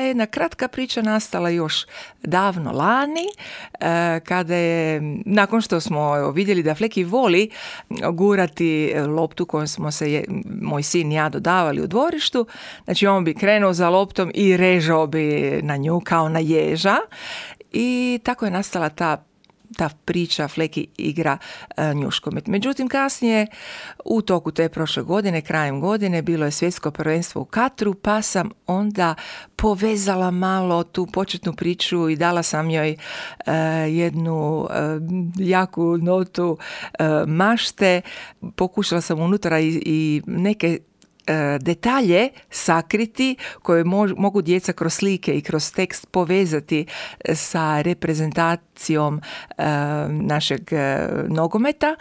jedna kratka priča nastala još davno lani, kada je, nakon što smo vidjeli da Fleki voli gurati loptu kojom smo se moj sin i ja dodavali u dvorištu, znači on bi krenuo za loptom i režao bi na nju kao na ježa, i tako je nastala ta priča Fleki igra njuškomet. Međutim, kasnije u toku te prošle godine, krajem godine, bilo je svjetsko prvenstvo u Katru, pa sam onda povezala malo tu početnu priču i dala sam joj jednu jaku notu mašte. Pokušala sam unutra i neke detalje sakriti koje mogu djeca kroz slike i kroz tekst povezati sa reprezentacijom našeg nogometa.